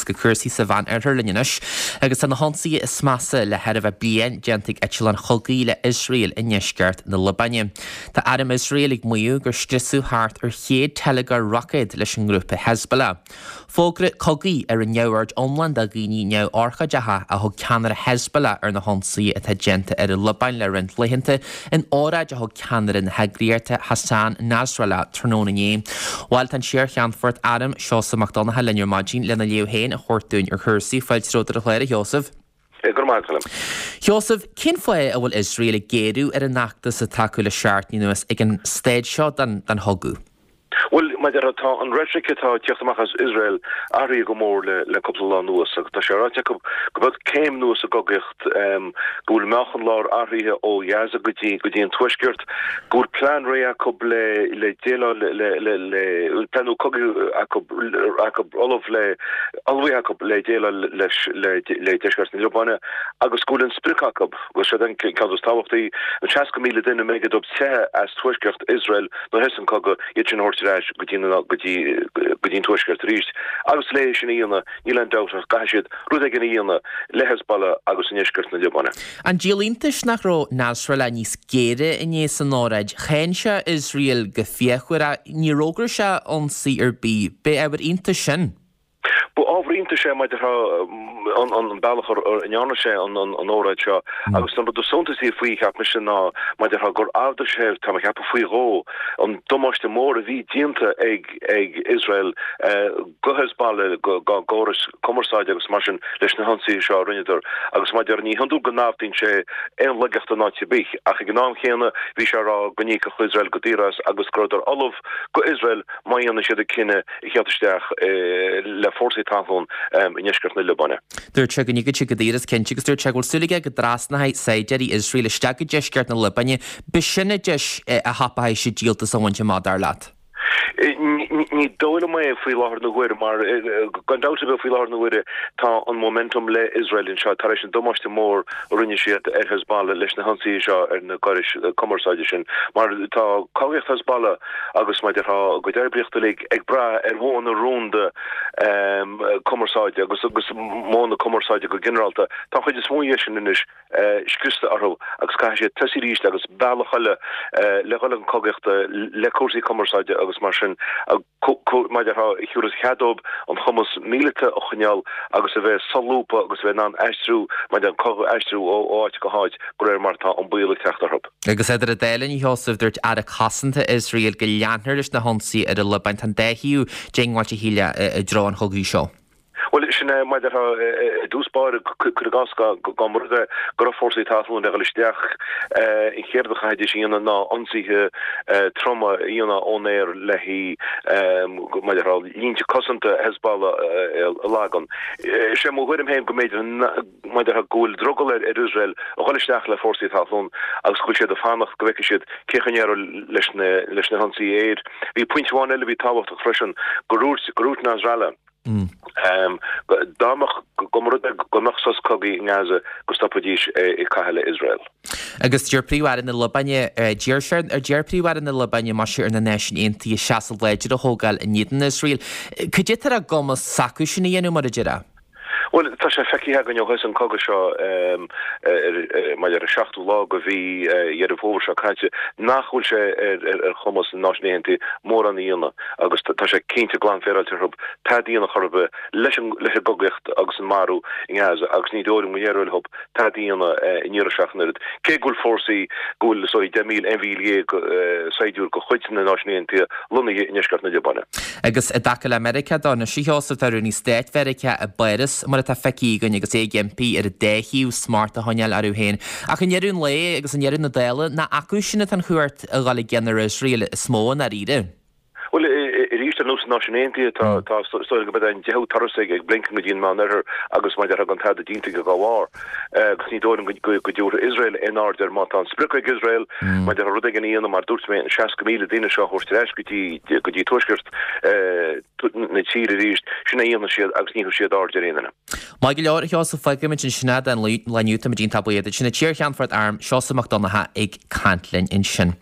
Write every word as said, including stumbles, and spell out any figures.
go cúrsaí sa Mheánoirthear linn anois, agus tá na hionsaithe is measa le thar a bheith bliain déanta ag eitleáin chogaidh le Iosrael i ndeisceart na Liobáine. Tá arm Iosrael ag maíomh gur scriosadh thart ar chéad teilgeoir roicéad leis an ngrúpa Hezbollah. Fógra cogaidh ar an neamhaird iomlán de dhaoine neamhurchóideacha a thug ceannaire Hezbollah ar na hionsaithe atá déanta ar an Liobáin le roinnt laethanta in óráid a thug ceannaire na heagraíochta Hassan Nasrallah tráthnóna inné. Bhuel tá an t-iarCheannfort airm Seosamh Mac Donncha linn ar maidin lena léamh féin a thabhairt dúinn ar chúrsaí. Fáilte romhat ar an chlár, a Sheosaimh. Go raibh maith agat. Sheosamh, cén fáth a bhfuil Iosrael ag géarú ar an fheachtas atá acu le seachtain anuas ag an staid seo den chogadh? Bhuel, mar a déarfá, tá an reitric atá ag teacht amach as Iosrael athraithe go mór le le cúpla lá anuas agus tá sé ráite acu go bhfuil céim nua sa gcogaíocht, go bhfuil meáchan láir athraithe ó Ghaza go dtí go dtí an tuaisceart, go bhfuil plean réidh acu le le déileáil le le le plean nua cogaidh acu acu ullamh le ullmhaithe acu le déileáil leis le le deisceart na Liobáine agus go bhfuil an sprioc acu, agus seo an ceann is tábhachtaí, an seasca míle duine a mb'éigean dóibh teitheadh as tuaisceart Iosrael nuair a thosaigh an cogadh, iad sin a thabhairt ar ais go dtí go dtí go dtí an tuaisceart arís. Agus le sin a dhéanamh, níl aon dabht ach go gcaithfidh siad rud éigin a dhéanamh le Hezbollah agus i ndeisceart na Liobáine. An díol iontais nach raibh Nasrallah níos géire inné san óráid? Cháin sé Iosrael go fíochmhar ach níor fhógair sé ionsaí ar bith. B'é ábhar iontais sin. Ba ábhar iontais é mar a déarfá an bealach a ndearna sé an óráid seo agus an rud is suntasaí faoi, cheap mise, ná mar a déarfá gur ardaigh sé, tá mé ag ceapadh faoi dhó, an damáiste mór a bhí déanta ag ag Iosrael go Hezbollah, dá gcórais cumarsáide agus mar sin leis na hionsaithe seo a rinneadar agus mar a déarfá ní hiondúil go naimhdeann sé aon laigeacht in áit ar bith ach ag an am chéanna bhí sé ag rá go n-íocfadh Iosrael go daor as agus go rabhadar ullamh go Iosrael má dhéanann siad an cinneadh a theacht isteach le fórsaí talún i ndeisceart na Liobáine. Dúirt sé go n-íocfaidh siad go daor as cinnte agus dúirt sé go bhfuil súil aige go dtrasnóidh saighdiúirí Iosrael isteach go deisceart na Liobáine. B'shin an deis a thapóidh siad díoltas a bhaint amach, dar leat? Ní dóigh liom é faoi láthair na huaire mar gan dabht ar bith faoi láthair na huaire tá an momentum le Iosrael anseo tar éis an damáiste mór a rinne siad ar Hezbollah leis na hionsaithe seo ar na gcórais cumarsáide sin mar tá cogaíocht Hezbollah agus mar a déarfá a gcuid oibríochta uilig ag brath ar mhodhanna rúnda cumarsáide agus agus modhanna cumarsáide go ginearálta. Tá an chuid is mó dhe sin anois scriosta orthu agus caithfidh siad tosaí arís agus bealach eile le dhul chun cogaíochta le cúrsaí cumarsáide agus mar sin mar a déarfá a thabharfas cead dóibh an cumas míleata a choinneáil agus a bheith solúbtha agus a bheith in ann aistriú mar a déarfá an cogadh a aistriú ó áit go háit de réir mar atá an baol ag teacht orthu. Agus idir an dá linn, a Sheosaimh, dúirt Aire Cosanta Iosrael go leanfar leis na hionsaithe ar an Liobáin. Tá an dá thaobh diongbháilte shílfeá i dtreo an chogaidh seo. Bhuel, sin é, mar a déarfá, i dtús báire, cuir i gcás dá mba rud é go raibh fórsaí talún le dhul isteach, an chéad rud a chaithfidís a dhéanamh ná ionsaithe troma a dhéanamh ón aer le haghaidh, mar a déarfá, línte cosanta Hezbollah a lagan. Is é mo thuairim féin go mb'fhéidir mar a déarfá go bhfuil drogall ar Iosrael a dhul isteach le fórsaí talún agus go bhfuil siad ag fanacht go bhfeicfidh siad cén chaoi a n-éireoidh leis na leis na hionsaithe aeir. Bhí pointe amháin eile a bhí tábhachtach freisin, gur dhúirt gur dhúirt Nasrallah dá mbeadh go mba rud é go mbeadh sos cogaidh i nGaza go stopfaidís ag caitheamh le Iosrael. Agus deir Príomh-Aire na Liobáine, d'iarr sé, d'iarr Príomh-Aire na Liobáine, maise, ar na Náisiúin Aontaithe seasamh láidir a thógáil in éadan Iosrael. Cad é atá ar a gcumas s'acu sin a dhéanamh, mar a déarfá? Bhuel, tá sé feicthe againn ó thosaigh an cogadh seo mar ar an seachtú lá de mhí Dheireadh Fómhair seo caite nach bhfuil sé ar chumas na Náisiún Aontaithe mórán a dhéanamh agus tá sé cinnte glan féaráilte orthu tada a dhéanamh chor ar bith leis an gcogaíocht agus an marú i nGaza agus ní dóigh liom go n-éireoidh leo tada a dhéanamh an iarraidh seo ach an oiread. Cé go bhfuil fórsaí, go bhfuil is dóigh deich míle, aon mhíle dhéag saighdiúir de chuid na Náisiún Aontaithe lonnaithe i ndeisceart na Liobáine. Agus i dtaca le Meiriceá dó, anois a Sheosaimh, tá Rúnaí Stáit Mheiriceá i bPáras, mar atá feicthe againn, agus é ag impí ar an dá thaobh smacht a choinneáil orthu féin. Ach i ndeireadh an lae agus i ndeireadh na dála, nach acu sin atá an chumhacht a dhul i gcion ar Iosrael is mó i ndáiríre. Bhuel, arís, ar nós na Náisiún Aontaithe, tá, tá, is dóigh liom go mbeidh an deichiú turas ag Blinken go dtí an Meánoirthear agus mar a déarfá gan tada déanta aige dá bharr. Agus ní dóigh liom go dtabharfaidh Iosrael aon aird air má tá an sprioc ag Iosrael, mar a déarfá rud éigin a dhéanamh, mar dúirt mé, an seasca míle duine seo a thabhairt ar ais go dtí, go dtí tuaisceart na tíre arís, sin é a dhéanfaidh siad agus ní thabharfaidh siad aird ar aon duine. Maith go leor, a Sheosaimh, fágfaimid ansin é don lá inniu. Táimid iontach buíoch duit. Sin an t-iarCheannfort Airm, Seosamh Mac Donncha, ag caint linn ansin.